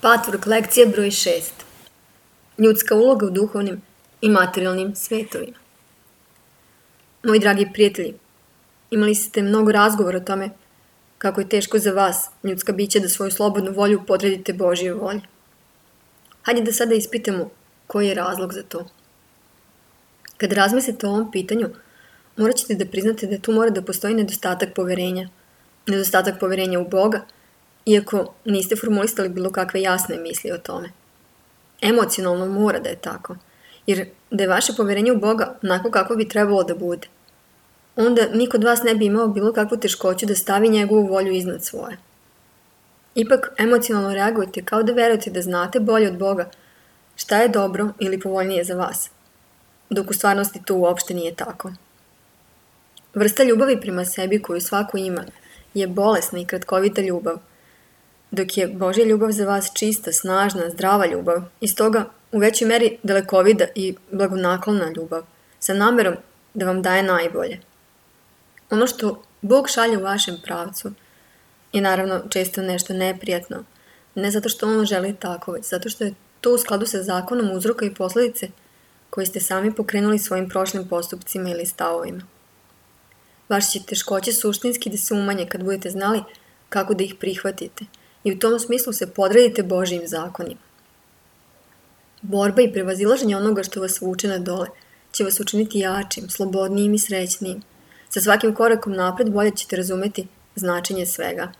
Patvork lekcija broj 6. Ljudska uloga u duhovnim i materijalnim svetovima. Moji dragi prijatelji, imali ste mnogo razgovora o tome kako je teško za vas, ljudska bića, da svoju slobodnu volju podredite Božjoj volji. Hajde da sada ispitamo koji je razlog za to. Kada razmislite o ovom pitanju, morat ćete da priznate da tu mora da postoji nedostatak poverenja. Nedostatak poverenja u Boga, iako niste formulisali bilo kakve jasne misli o tome. Emocionalno mora da je tako, jer da je vaše poverenje u Boga onako kako bi trebalo da bude, onda niko od vas ne bi imao bilo kakvu teškoću da stavi njegovu volju iznad svoje. Ipak emocionalno reagujete kao da verujete da znate bolje od Boga šta je dobro ili povoljnije za vas, dok u stvarnosti to uopšte nije tako. Vrsta ljubavi prema sebi koju svako ima je bolesna i kratkovita ljubav, dok je Božja ljubav za vas čista, snažna, zdrava ljubav i stoga u većoj meri dalekovida i blagonaklona ljubav, sa namerom da vam daje najbolje. Ono što Bog šalje u vašem pravcu je naravno često nešto neprijatno, ne zato što On želi tako, već zato što je to u skladu sa zakonom uzroka i posledice koje ste sami pokrenuli svojim prošlim postupcima ili stavovima. Vaše će teškoće suštinski da se umanje kad budete znali kako da ih prihvatite i u tom smislu se podredite Božjim zakonima. Borba i prevazilaženje onoga što vas vuče na dole će vas učiniti jačim, slobodnijim i srećnijim. Sa svakim korakom napred bolje ćete razumeti značenje svega.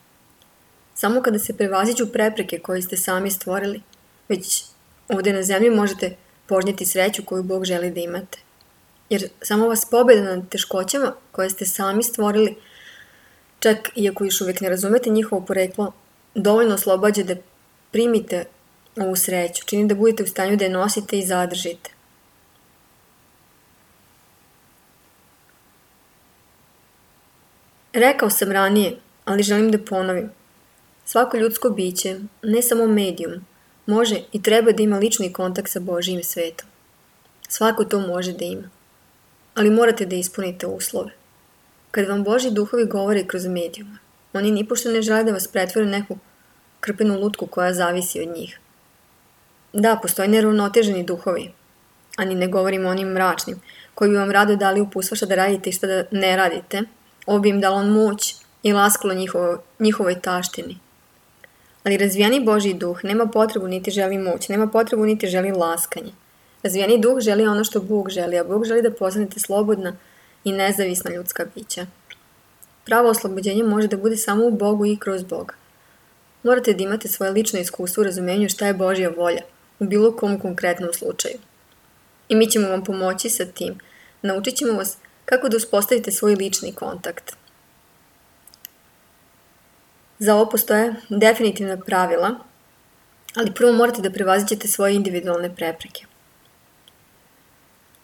Samo kada se prevaziđu prepreke koje ste sami stvorili, već ovdje na zemlji možete požnjeti sreću koju Bog želi da imate. Jer samo vas pobjeda nad teškoćama koje ste sami stvorili, čak iako još uvijek ne razumete njihovo poreklo, dovoljno oslobađa da primite ovu sreću, čini da budete u stanju da je nosite i zadržite. Rekao sam ranije, ali želim da ponovim. Svako ljudsko biće, ne samo medijum, može i treba da ima lični kontakt sa Božjim svetom. Svako to može da ima. Ali morate da ispunite uslove. Kad vam Božji duhovi govore kroz medijuma, oni nipošto ne žele da vas pretvore u neku krpenu lutku koja zavisi od njih. Da, postoje neravnoteženi duhovi, a ni ne govorimo o onim mračnim, koji bi vam rado dali uputstva šta da radite i šta da ne radite. Ovo bi im dalo moć i laskalo njihovoj taštini. Ali razvijeni Božji duh nema potrebu niti želi moć, nema potrebu niti želi laskanje. Razvijeni duh želi ono što Bog želi, a Bog želi da postanete slobodna i nezavisna ljudska bića. Pravo oslobođenje može da bude samo u Bogu i kroz Boga. Morate da imate svoje lično iskustvo u razumenju šta je Božja volja u bilo kom konkretnom slučaju. I mi ćemo vam pomoći sa tim. Naučit ćemo vas kako da uspostavite svoj lični kontakt. Za ovo postoje definitivna pravila, ali prvo morate da prevaziđete svoje individualne prepreke.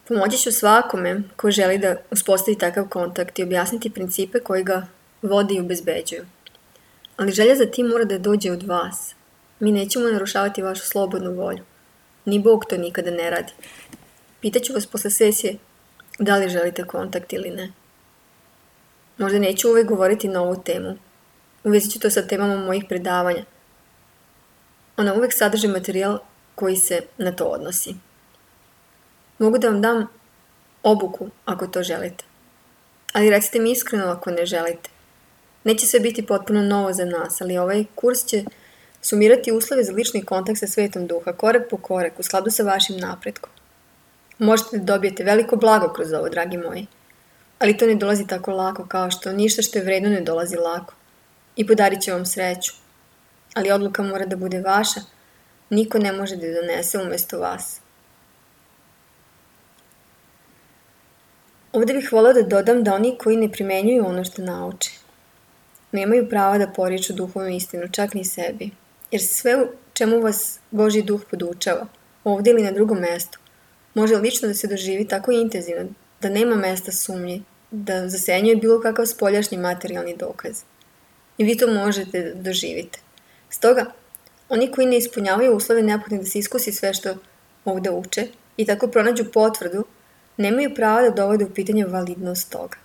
Pomoći ću svakome ko želi da uspostavi takav kontakt i objasniti principe koji ga vode i obezbeđuju. Ali želja za tim mora da dođe od vas. Mi nećemo narušavati vašu slobodnu volju. Ni Bog to nikada ne radi. Pitaću vas posle sesije da li želite kontakt ili ne. Možda neću uvek govoriti na ovu temu. Uvezit ću to sa temama mojih predavanja. Ona uvek sadrži materijal koji se na to odnosi. Mogu da vam dam obuku ako to želite. Ali recite mi iskreno ako ne želite. Neće sve biti potpuno novo za nas, ali ovaj kurs će sumirati uslove za lični kontakt sa svetom duha, korak po korak, u skladu sa vašim napretkom. Možete da dobijete veliko blago kroz ovo, dragi moji. Ali to ne dolazi tako lako kao što ništa što je vredno ne dolazi lako. I podarit će vam sreću. Ali odluka mora da bude vaša. Niko ne može da je donese umesto vas. Ovdje bih voleo da dodam da oni koji ne primenjuju ono što nauče nemaju prava da poriču duhovnu istinu, čak ni sebi. Jer sve u čemu vas Božji duh podučava, ovdje ili na drugom mestu, može lično da se doživi tako intenzivno da nema mesta sumnji, da zasenjuje bilo kakav spoljašnji materijalni dokaz. I vi to možete da doživite. Stoga, oni koji ne ispunjavaju uslove neophodne da se iskusi sve što ovdje uče i tako pronađu potvrdu, nemaju prava da dovode u pitanje validnost toga.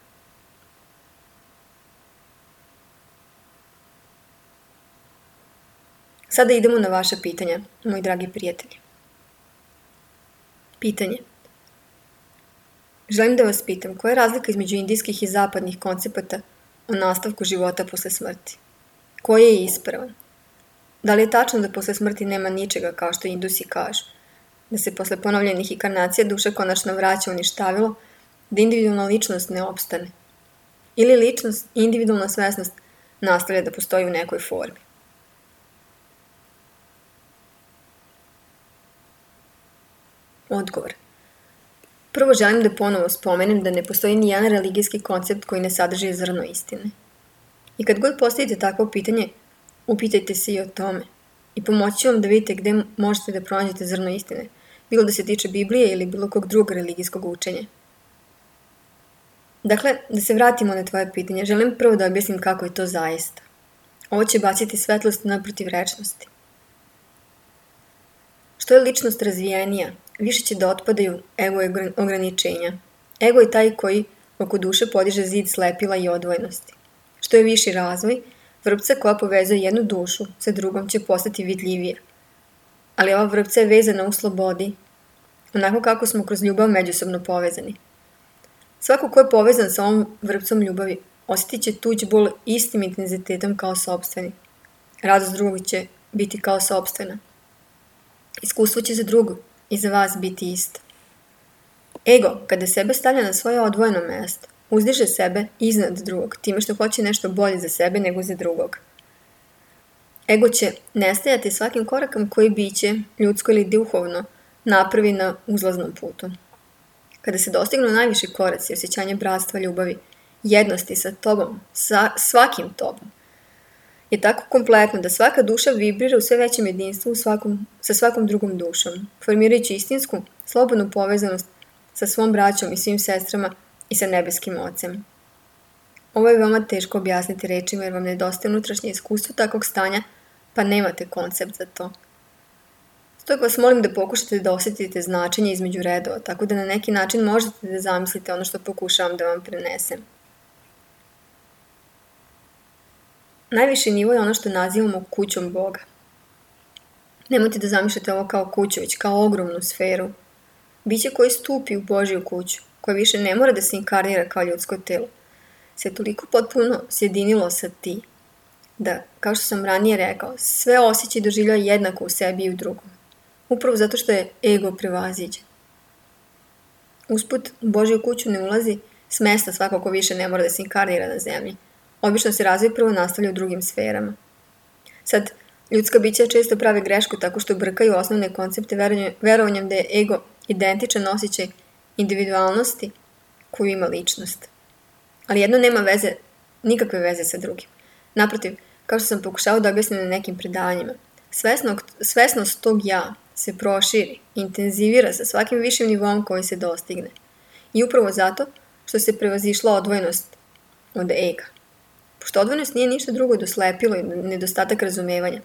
Sada idemo na vaša pitanja, moji dragi prijatelji. Pitanje. Želim da vas pitam, koja je razlika između indijskih i zapadnih koncepata o nastavku života posle smrti? Koji je ispravan? Da li je tačno da posle smrti nema ničega, kao što Indusi kažu? Da se posle ponovljenih inkarnacija duša konačno vraća u ništavilo, da individualna ličnost ne opstane? Ili ličnost i individualna svesnost nastavlja da postoji u nekoj formi? Odgovor. Prvo želim da ponovo spomenem da ne postoji ni jedan religijski koncept koji ne sadrži zrno istine. I kad god postavite takvo pitanje, upitajte se i o tome. I pomoći ću vam da vidite gde možete da pronađete zrno istine, bilo da se tiče Biblije ili bilo kog drugog religijskog učenja. Dakle, da se vratimo na tvoje pitanje, želim prvo da objasnim kako je to zaista. Ovo će baciti svetlost na protivrečnosti. Što je ličnost razvijenija, više će da otpadaju ego ograničenja. Ego je taj koji oko duše podiže zid slepila i odvojenosti. Što je viši razvoj, vrpca koja povezuje jednu dušu sa drugom će postati vidljivija. Ali ova vrpca je vezana u slobodi, onako kako smo kroz ljubav međusobno povezani. Svako ko je povezan sa ovom vrpcom ljubavi osjetit će tuđ bol istim intenzitetom kao sopstveni. Radost drugog će biti kao sopstvena. Iskustvo će za drugog i za vas biti isto. Ego, kada sebe stavlja na svoje odvojeno mesto, uzdiže sebe iznad drugog, time što hoće nešto bolje za sebe nego za drugog. Ego će nestajati svakim korakom koji biće, ljudsko ili duhovno, napravi na uzlaznom putu. Kada se dostignu najviši koraci, osjećanje bratstva, ljubavi, jednosti sa tobom, sa svakim tobom, je tako kompletno da svaka duša vibrira u sve većem jedinstvu sa svakom drugom dušom, formirajući istinsku, slobodnu povezanost sa svom braćom i svim sestrama i sa nebeskim ocem. Ovo je veoma teško objasniti rečima jer vam nedostaje unutrašnje iskustvo takvog stanja, pa nemate koncept za to. Stoga vas molim da pokušate da osjetite značenje između redova, tako da na neki način možete da zamislite ono što pokušavam da vam prenesem. Najviši nivo je ono što nazivamo kućom Boga. Nemojte da zamišljate ovo kao kuću, već kao ogromnu sferu. Biće koji stupi u Božju kuću, koja više ne mora da se inkarnira kao ljudsko telo, se toliko potpuno sjedinilo sa ti, da, kao što sam ranije rekao, sve osjećaj doživljava jednako u sebi i u drugom. Upravo zato što je ego prevaziđen. Usput, u Božju kuću ne ulazi s mesta svako ko više ne mora da se inkarnira na zemlji. Obično se razvoj prvo nastavlja u drugim sferama. Sad, ljudska bića često prave grešku tako što brkaju osnovne koncepte verovanjem da je ego identičan osjećaj individualnosti koju ima ličnost. Ali jedno nema nikakve veze sa drugim. Naprotiv, kao što sam pokušao da objasnim na nekim predavanjima, svesnost tog ja se proširi, intenzivira sa svakim višim nivom koji se dostigne. I upravo zato što se prevazišla odvojenost od ega. Pošto odvojenost nije ništa drugo do slepilo i nedostatak razumevanja,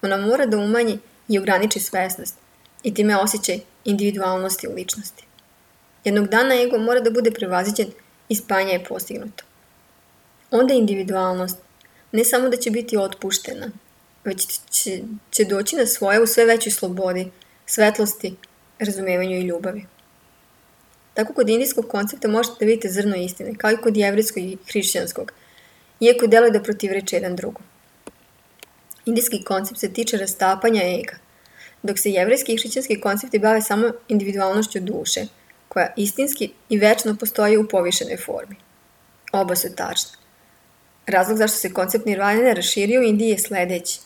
ona mora da umanji i ograniči svesnost i time osjećaj individualnosti u ličnosti. Jednog dana ego mora da bude prevaziđen i spajanje je postignuto. Onda individualnost ne samo da će biti otpuštena, već će doći na svoje u sve većoj slobodi, svetlosti, razumevanju i ljubavi. Tako kod indijskog koncepta možete da vidite zrno istine, kao i kod jevrijskog i hrišćanskog, iako deluje da protivreče jedan drugom. Indijski koncept se tiče rastapanja ega, dok se jevrijski i hrišćanski koncepti bave samo individualnošću duše, koja istinski i večno postoji u povišenoj formi. Oba su tačna. Razlog zašto se koncept nirvane raširio u Indiji je sledeći.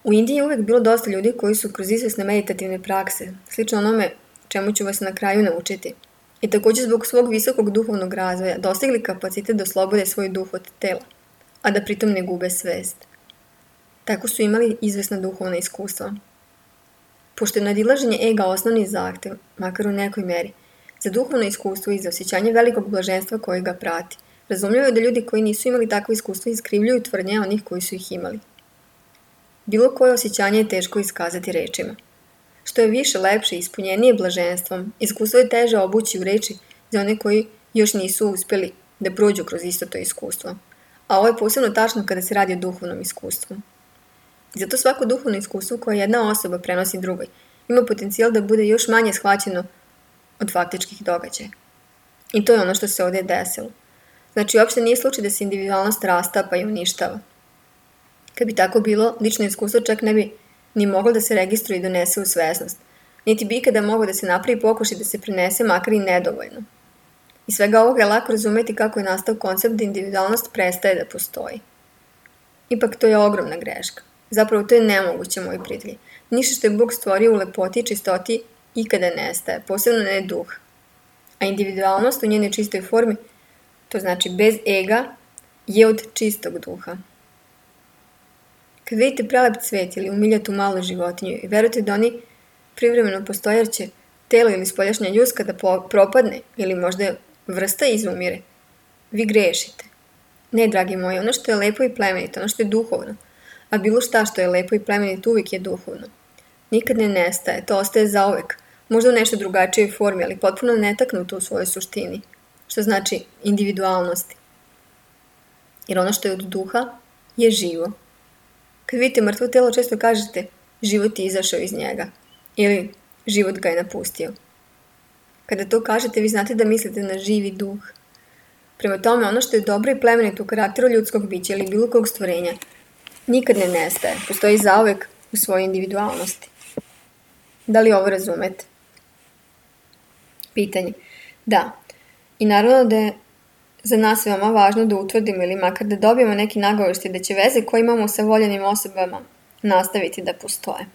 U Indiji je uvek bilo dosta ljudi koji su kroz izvesne meditativne prakse, slično onome čemu ću vas na kraju naučiti, i također zbog svog visokog duhovnog razvoja dostigli kapacitet da oslobode svoj duh od tela, a da pritom ne gube svest. Tako su imali izvesna duhovna iskustva. Pošto je nadilaženje ega osnovni zahtev, makar u nekoj meri, za duhovno iskustvo i za osjećanje velikog blaženstva koje ga prati, razumljivo je da ljudi koji nisu imali takvo iskustvo iskrivljuju tvrdnje onih koji su ih imali. Bilo koje osjećanje je teško iskazati rečima. Što je više, lepše i ispunjenije blaženstvom, iskustvo je teže obući u reči za one koji još nisu uspjeli da prođu kroz isto to iskustvo. A ovo je posebno tačno kada se radi o duhovnom iskustvu. I zato svako duhovno iskustvo koje jedna osoba prenosi drugoj ima potencijal da bude još manje shvaćeno od faktičkih događaja. I to je ono što se ovdje desilo. Znači, uopšte nije slučaj da se individualnost rastapa i uništava. Kad bi tako bilo, lično iskustvo čak ne bi ni moglo da se registruje i donese u svesnost, niti bi ikada moglo da se napravi pokušaj da se prenese, makar i nedovoljno. Iz svega ovoga je lako razumeti kako je nastao koncept da individualnost prestaje da postoji. Ipak to je ogromna greška. Zapravo to je nemoguće, moji prijatelji. Ništa što je Bog stvorio u lepoti i čistoti ikada nestaje, posebno ne duh. A individualnost u njenoj čistoj formi, to znači bez ega, je od čistog duha. Kad vidite prelep cvet ili umiljatu malu životinju i verujete da oni privremeno postoje jer će telo ili spoljašnja ljuska da propadne ili možda vrsta izumire, vi grešite. Ne, dragi moji, ono što je lepo i plemenito, ono što je duhovno, a bilo šta što je lepo i plemenito uvijek je duhovno. Nikad ne nestaje, to ostaje zauvek, možda u nešto drugačijoj formi, ali potpuno netaknuto u svojoj suštini, što znači individualnosti. Jer ono što je od duha je živo. Kad vidite mrtvo telo, često kažete život je izašao iz njega ili život ga je napustio. Kada to kažete, vi znate da mislite na živi duh. Prema tome, ono što je dobro i plemenito u karakteru ljudskog bića ili bilo kog stvorenja nikad ne nestaje, postoji zauvek u svojoj individualnosti. Da li ovo razumete? Pitanje. Da. I naravno da je za nas veoma važno da utvrdimo ili makar da dobijemo neki nagoveštaj da će veze koje imamo sa voljenim osobama nastaviti da postoje.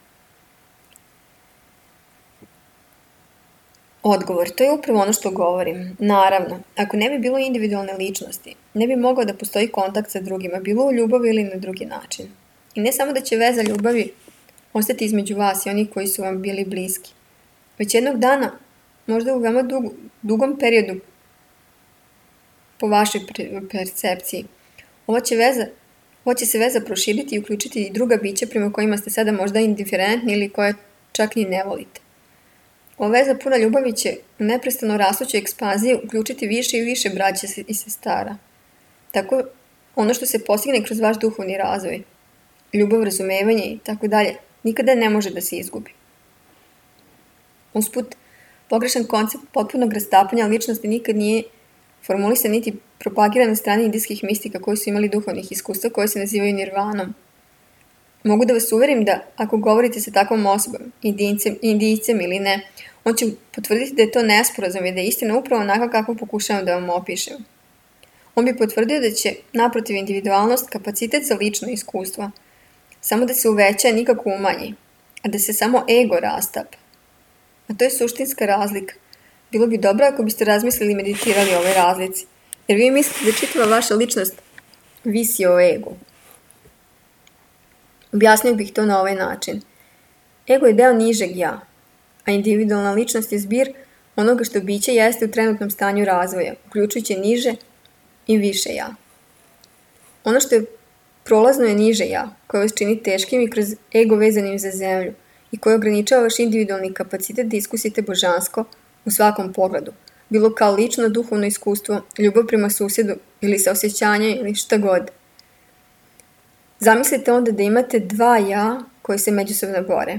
Odgovor. To je upravo ono što govorim. Naravno, ako ne bi bilo individualne ličnosti, ne bi mogao da postoji kontakt sa drugima, bilo u ljubavi ili na drugi način. I ne samo da će veza ljubavi ostati između vas i onih koji su vam bili bliski, već jednog dana, možda u veoma dugom periodu, po vašoj percepciji, ova će se veza proširiti i uključiti i druga bića prema kojima ste sada možda indiferentni ili koje čak ni ne volite. Ova veza puna ljubavi će u neprestano rastućoj ekspanziji uključiti više i više braća i sestara. Tako, ono što se postigne kroz vaš duhovni razvoj, ljubav, razumevanje i tako dalje, nikada ne može da se izgubi. Usput, pogrešan koncept potpunog rastapanja ličnosti nikad nije formulisan niti propagiran na strani indijskih mistika koji su imali duhovnih iskustva koje se nazivaju nirvanom. Mogu da vas uverim da ako govorite sa takvom osobom, indijcem ili ne, on će potvrditi da je to nesporazum i da je istina upravo onako kako pokušavam da vam opišem. On bi potvrdio da će, naprotiv, individualnost, kapacitet za lično iskustvo, samo da se uveća, nikako umanji, a da se samo ego rastapa. A to je suštinska razlika. Bilo bi dobro ako biste razmislili i meditirali o ovoj razlici, jer vi mislite da čitava vaša ličnost visi o egu. Objasnio bih to na ovaj način. Ego je deo nižeg ja, a individualna ličnost je zbir onoga što biće jeste u trenutnom stanju razvoja, uključujući niže i više ja. Ono što je prolazno je niže ja, koje vas čini teškim i kroz ego vezanim za zemlju i koje ograničava vaš individualni kapacitet da iskusite božansko u svakom pogledu, bilo kao lično duhovno iskustvo, ljubav prema susjedu ili saosjećanje ili šta god. Zamislite onda da imate dva ja koji se međusobno bore.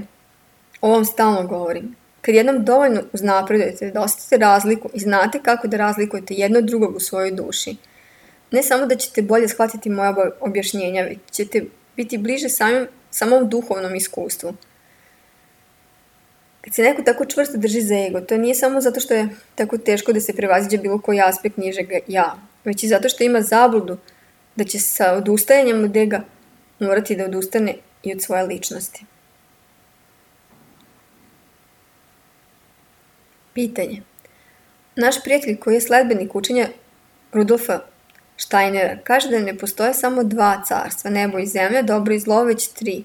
O ovom stalno govorim. Kad jednom dovoljno uznapredujete da osjetite razliku i znate kako da razlikujete jedno od drugog u svojoj duši, ne samo da ćete bolje shvatiti moja objašnjenja, već ćete biti bliže samom duhovnom iskustvu. Kad se neko tako čvrsto drži za ego, to nije samo zato što je tako teško da se prevaziđe bilo koji aspekt nižeg ja, već i zato što ima zabludu da će sa odustajanjem od ega morati da odustane i od svoje ličnosti. Pitanje. Naš prijatelj koji je sledbenik učenja Rudolfa Steinera kaže da ne postoje samo dva carstva, nebo i zemlja, dobro i zlo, već tri.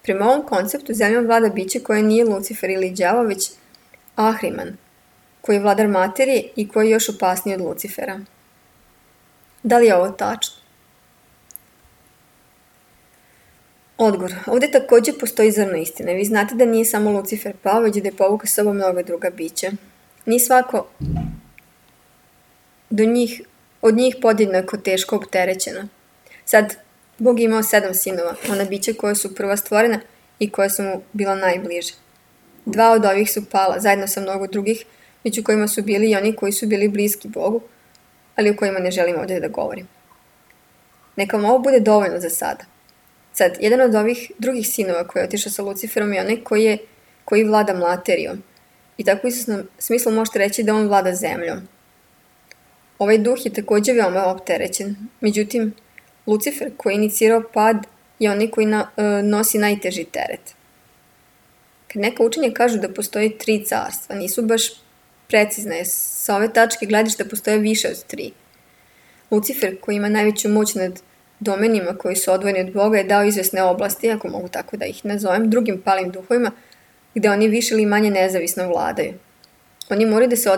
Prema ovom konceptu zemljom vlada biće koje nije Lucifer ili đavo, već Ahriman, koji je vladar materije i koji je još opasniji od Lucifera. Da li je ovo tačno? Odgovor. Ovdje također postoji zrno istine. Vi znate da nije samo Lucifer pao, već da je povukao s sobom mnoga druga bića. Nije svako od njih podjednako teško opterećeno. Sad, Bog je imao 7 sinova, ona bića koja su prva stvorena i koja su mu bila najbliže. 2 od ovih su pala, zajedno sa mnogo drugih, među kojima su bili i oni koji su bili bliski Bogu, ali o kojima ne želim ovdje da govorim. Neka vam ovo bude dovoljno za sada. Sad, jedan od ovih drugih sinova koji je otišao sa Luciferom je onaj koji vlada materijom. I tako u istom smislu možete reći da on vlada zemljom. Ovaj duh je također veoma opterećen. Međutim, Lucifer koji je inicirao pad je onaj koji nosi najteži teret. Kad neka učenja kažu da postoji 3 carstva, nisu baš precizne. Sa ove tačke gledišta postoje više od 3. Lucifer koji ima najveću moć nad domenima koji su odvojeni od Boga je dao izvesne oblasti, ako mogu tako da ih nazovem, drugim palim duhovima, gde oni više ili manje nezavisno vladaju. Oni moraju da se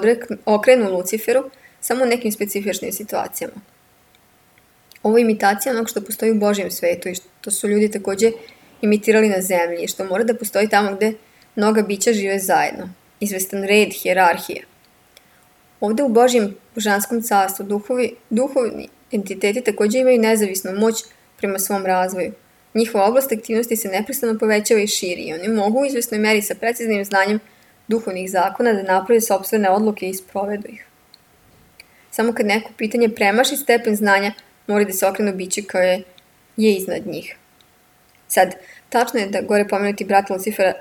okrenu Luciferu samo u nekim specifičnim situacijama. Ovo je imitacija onog što postoji u Božjem svetu i što su ljudi također imitirali na zemlji i što mora da postoji tamo gde mnoga bića žive zajedno. Izvestan red, hijerarhija. Ovdje u Božjem božanskom carstvu duhovni entiteti također imaju nezavisnu moć prema svom razvoju. Njihova oblast aktivnosti se neprestano povećava i širi i oni mogu u izvesnoj meri sa preciznim znanjem duhovnih zakona da naprave sopstvene odluke i sprovedu ih. Samo kad neko pitanje premaši stepen znanja, mora da se okrenu biće koje je iznad njih. Sad, tačno je da gore pomenuti brat Lucifera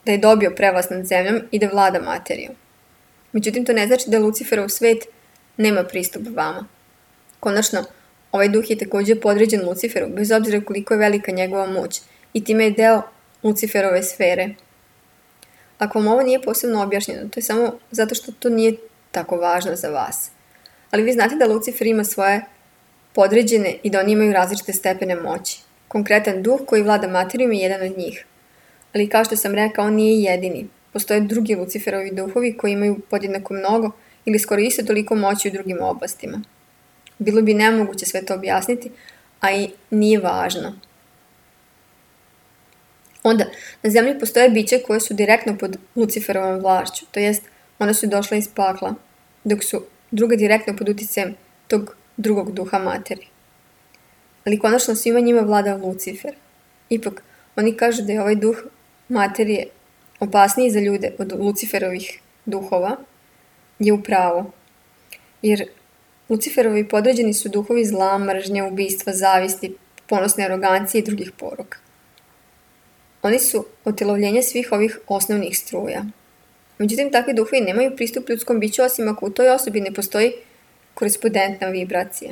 da je dobio prevlast nad zemljom i da vlada materijom. Međutim, to ne znači da Luciferov svet nema pristup vama. Konačno, ovaj duh je također podređen Luciferu, bez obzira koliko je velika njegova moć, i time je deo Luciferove sfere. Ako vam ovo nije posebno objašnjeno, to je samo zato što to nije tako važno za vas. Ali vi znate da Lucifer ima svoje podređene i da oni imaju različite stepene moći. Konkretan duh koji vlada materijom je jedan od njih. Ali kao što sam rekao, on nije jedini. Postoje drugi Luciferovi duhovi koji imaju podjednako mnogo ili skoro isto toliko moći u drugim oblastima. Bilo bi nemoguće sve to objasniti, a i nije važno. Onda, na zemlji postoje biće koje su direktno pod Luciferovom vlašću, to jest one su došle iz pakla, dok su druga direktno pod utjecajem tog drugog duha materije. Ali konačno svima njima vlada Lucifer. Ipak, oni kažu da je ovaj duh materije opasniji za ljude od Luciferovih duhova, je u pravu. Jer Luciferovi podređeni su duhovi zla, mržnje, ubistva, zavisti, ponosne arogancije i drugih poruka. Oni su otelovljenje svih ovih osnovnih struja. Međutim, takvi duhovi nemaju pristup ljudskom biću osim ako u toj osobi ne postoji korespondentna vibracija.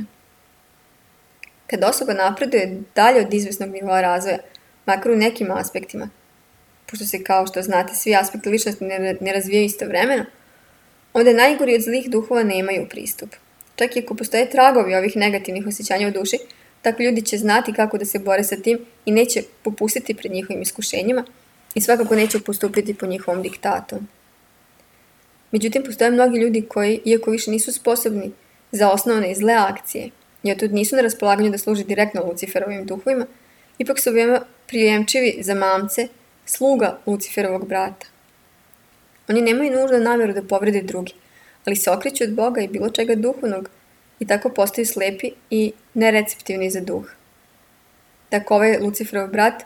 Kad osoba napreduje dalje od izvesnog nivoa razvoja, makar u nekim aspektima, pošto se kao što znate svi aspekti ličnosti ne razvijaju istovremeno, onda najgori od zlih duhova nemaju pristup. Čak i ako postoje tragovi ovih negativnih osjećanja u duši, takvi ljudi će znati kako da se bore sa tim i neće popustiti pred njihovim iskušenjima i svakako neće postupiti po njihovom diktatu. Međutim, postoje mnogi ljudi koji, iako više nisu sposobni za osnovne i zle akcije, i otud nisu na raspolaganju da služe direktno Luciferovim duhovima, ipak su veoma prijemčivi za mamce, sluga Luciferovog brata. Oni nemaju nužno namjeru da povrede drugi, ali se okreću od Boga i bilo čega duhovnog i tako postaju slepi i nereceptivni za duh. Tako ovaj Luciferov brat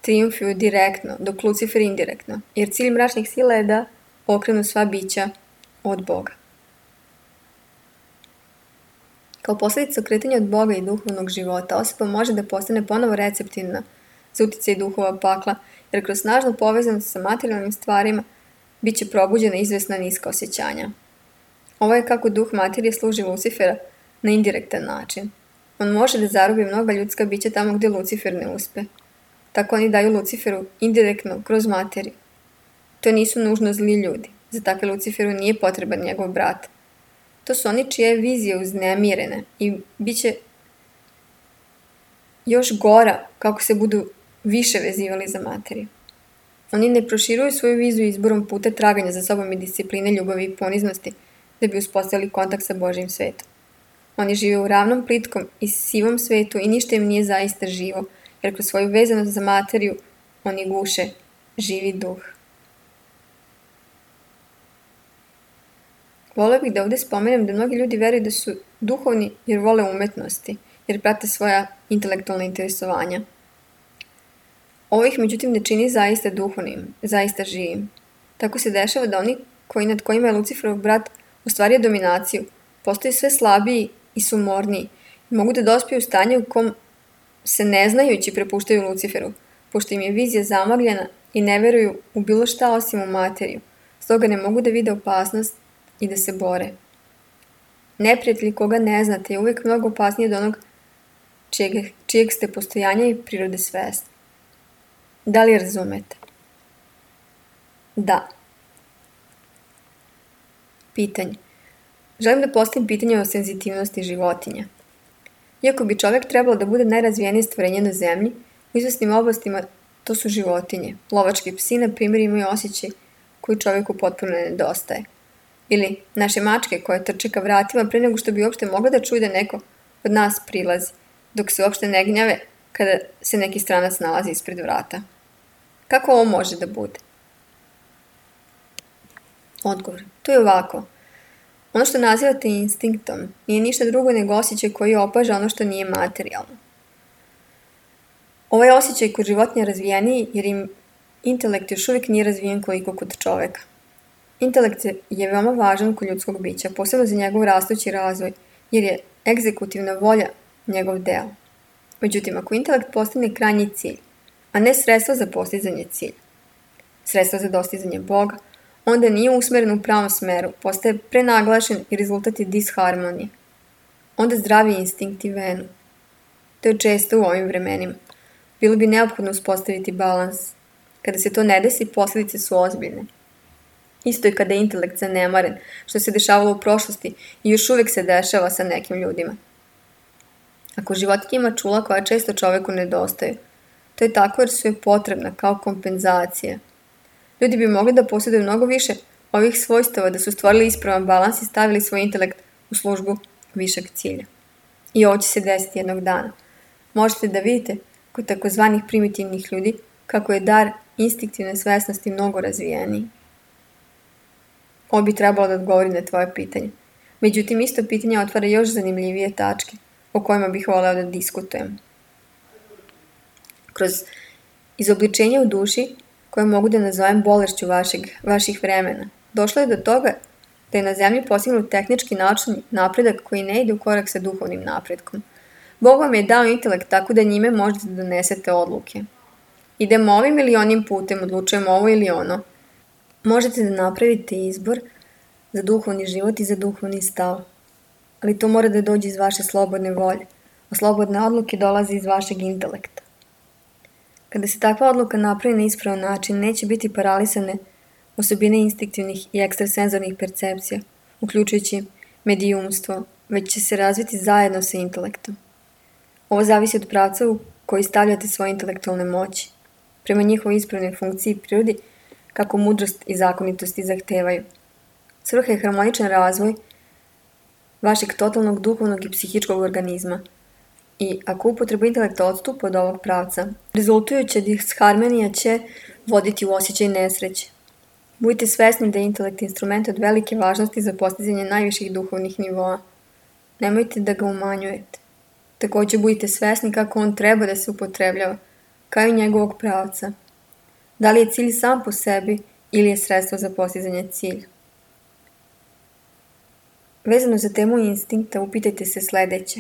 triumfuju direktno, dok Lucifer indirektno, jer cilj mračnih sila je da okrenu sva bića od Boga. Kao posljedica okretanja od Boga i duhovnog života, osoba može da postane ponovo receptivna za utjecaj duhova pakla, jer kroz snažnu povezanost sa materijalnim stvarima bit će probuđena izvesna niska osjećanja. Ovo je kako duh materije služi Lucifera na indirektan način. On može da zarobi mnoga ljudska bića tamo gdje Lucifer ne uspe. Tako oni daju Luciferu indirektno kroz materiju. To nisu nužno zli ljudi. Za takve Luciferu nije potreban njegov brat. To su oni čije je vizije uznemirene i bit će još gora kako se budu više vezivali za materiju. Oni ne proširuju svoju viziju izborom puta traganja za sobom i discipline, ljubavi i poniznosti da bi uspostavili kontakt sa Božjim svetom. Oni žive u ravnom, plitkom i sivom svetu i ništa im nije zaista živo, jer kroz svoju vezanost za materiju oni guše živi duh. Voleo bih da ovdje spomenem da mnogi ljudi veruju da su duhovni jer vole umetnosti jer prate svoja intelektualna interesovanja. Ovo ih međutim ne čini zaista duhovnim, zaista živim. Tako se dešava da oni nad kojima je Luciferov brat ostvario dominaciju, postaju sve slabiji i sumorniji i mogu da dospiju u stanje u kom se neznajući prepuštaju Luciferu, pošto im je vizija zamagljena i ne veruju u bilo šta osim u materiju, stoga ne mogu da vide opasnost i da se bore. Neprijatelj koga ne znate je uvijek mnogo opasniji od onog čijeg ste postojanja i prirode svesni. Da li razumete? Da. Pitanje. Želim da postavim pitanje o senzitivnosti životinja. Iako bi čovjek trebalo da bude najrazvijenije stvorenje na zemlji, u izvesnim oblastima to su životinje. Lovački psi, na primjer, imaju osjećaj koji čovjeku potpuno nedostaje. Ili naše mačke koje trče ka vratima pre nego što bi uopšte mogla da čuje da neko od nas prilazi, dok se uopšte ne gnjave kada se neki stranac nalazi ispred vrata. Kako ovo može da bude? Odgovor. To je ovako. Ono što nazivate instinktom nije ništa drugo nego osjećaj koji opaža ono što nije materijalno. Ovaj osjećaj kod životinja razvijeniji jer im intelekt još uvijek nije razvijen koliko kod čoveka. Intelekt je veoma važan kod ljudskog bića, posebno za njegov rastući razvoj, jer je egzekutivna volja njegov deo. Međutim, ako intelekt postane krajnji cilj, a ne sredstvo za postizanje cilja, sredstvo za dostizanje Boga, onda nije usmeren u pravom smeru, postaje prenaglašen i rezultat je disharmonije. Onda zdravi instinkti venu. To je često u ovim vremenima. Bilo bi neophodno uspostaviti balans. Kada se to ne desi, posljedice su ozbiljne. Isto je kada je intelekt zanemaren, što se dešavalo u prošlosti i još uvijek se dešava sa nekim ljudima. Ako životinja ima čula koja često čoveku nedostaju, to je tako jer su je potrebna kao kompenzacija. Ljudi bi mogli da posjeduju mnogo više ovih svojstava da su stvorili ispravan balans i stavili svoj intelekt u službu višeg cilja. I ovo će se desiti jednog dana. Možete da vidite kod takozvanih primitivnih ljudi kako je dar instinktivne svesnosti mnogo razvijeniji. Ovo bi trebalo da odgovori na tvoje pitanje. Međutim, isto pitanje otvara još zanimljivije tačke o kojima bih voleo da diskutujem. Kroz izobličenje u duši, koje mogu da nazovem bolešću vaših vremena, došlo je do toga da je na zemlji postignut tehnički naučni napredak koji ne ide u korak sa duhovnim napretkom. Bog vam je dao intelekt tako da njime možete da donesete odluke. Idemo ovim ili onim putem, odlučujemo ovo ili ono. Možete da napravite izbor za duhovni život i za duhovni stav. Ali to mora da dođe iz vaše slobodne volje, a slobodne odluke dolaze iz vašeg intelekta. Kada se takva odluka napravi na ispravan način, neće biti paralisane osobine instinktivnih i ekstrasenzornih percepcija, uključujući medijumstvo, već će se razviti zajedno sa intelektom. Ovo zavisi od pravca u koji stavljate svoje intelektualne moći, prema njihovoj ispravnoj funkciji i prirodi, kako mudrost i zakonitosti zahtevaju. Svrha je harmoničan razvoj vašeg totalnog duhovnog i psihičkog organizma i ako upotreba intelekta odstupa od ovog pravca, rezultujuća disharmonija će voditi u osjećaj nesreće. Budite svesni da je intelekt instrument od velike važnosti za postizanje najviših duhovnih nivoa. Nemojte da ga umanjujete. Također budite svesni kako on treba da se upotrebljava, kao i njegovog pravca. Da li je cilj sam po sebi ili je sredstvo za postizanje cilja? Vezano za temu instinkta, upitajte se sljedeće.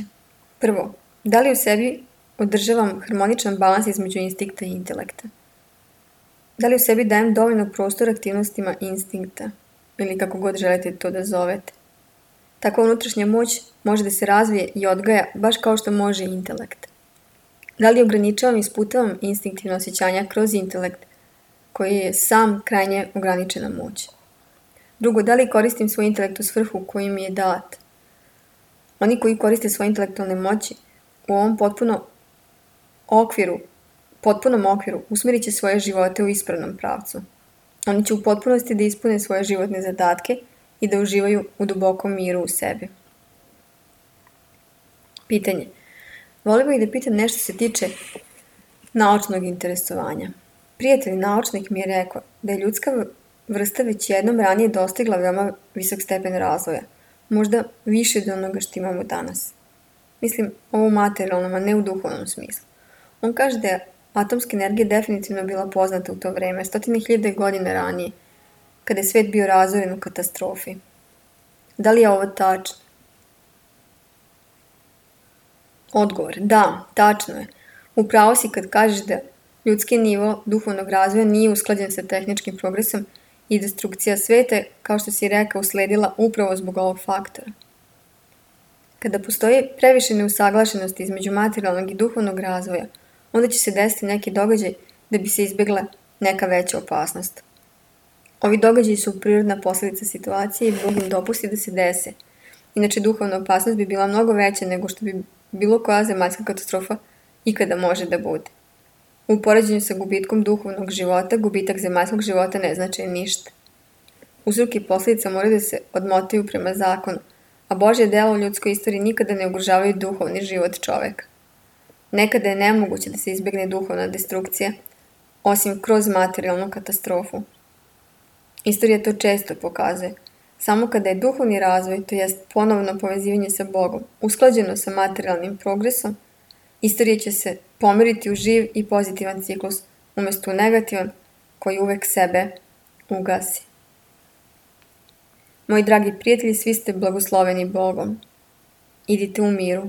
Prvo, da li u sebi održavam harmoničan balans između instinkta i intelekta? Da li u sebi dajem dovoljno prostora aktivnostima instinkta, ili kako god želite to da zovete? Takva unutrašnja moć može da se razvije i odgaja baš kao što može i intelekt. Da li ograničavam i isputavam instinktivno osjećanja kroz intelekt, koji je sam krajnje ograničena moć? Drugo, da li koristim svoj intelekt u svrhu koji mi je dat? Oni koji koriste svoje intelektualne moći u ovom potpunom okviru usmjerit će svoje živote u ispravnom pravcu. Oni će u potpunosti da ispune svoje životne zadatke i da uživaju u dubokom miru u sebi. Pitanje. Volim bih da pitam nešto se tiče naučnog interesovanja. Prijatelj naučnik mi je rekao da je ljudska vrsta već jednom ranije dostigla veoma visok stepen razvoja, možda više od onoga što imamo danas. Mislim ovo u materijalnom, a ne u duhovnom smislu. On kaže da je atomska energija definitivno bila poznata u to vreme, 100.000 godina ranije, kada je svet bio razoren u katastrofi. Da li je ovo tačno? Odgovor, da, tačno je. Upravo si kad kažeš da ljudski nivo duhovnog razvoja nije usklađen sa tehničkim progresom i destrukcija sveta, kao što si rekao, usledila upravo zbog ovog faktora. Kada postoji previše neusaglašenosti između materijalnog i duhovnog razvoja, onda će se desiti neki događaj da bi se izbjegla neka veća opasnost. Ovi događaji su prirodna posljedica situacije i Bog im dopusti da se dese. Inače, duhovna opasnost bi bila mnogo veća nego što bi bilo koja zemaljska katastrofa ikada može da bude. U poređenju sa gubitkom duhovnog života, gubitak zemaljskog života ne znači ništa. Uzrok i posljedica moraju da se odmotaju prema zakonu, a Božje delo u ljudskoj istoriji nikada ne ugrožavaju duhovni život čoveka. Nekada je nemoguće da se izbjegne duhovna destrukcija, osim kroz materijalnu katastrofu. Istorija to često pokazuje. Samo kada je duhovni razvoj, to jest ponovno povezivanje sa Bogom, usklađeno sa materijalnim progresom, istorija će se pomeriti u živ i pozitivan ciklus, umjesto u negativan koji uvek sebe ugasi. Moji dragi prijatelji, svi ste blagosloveni Bogom. Idite u miru.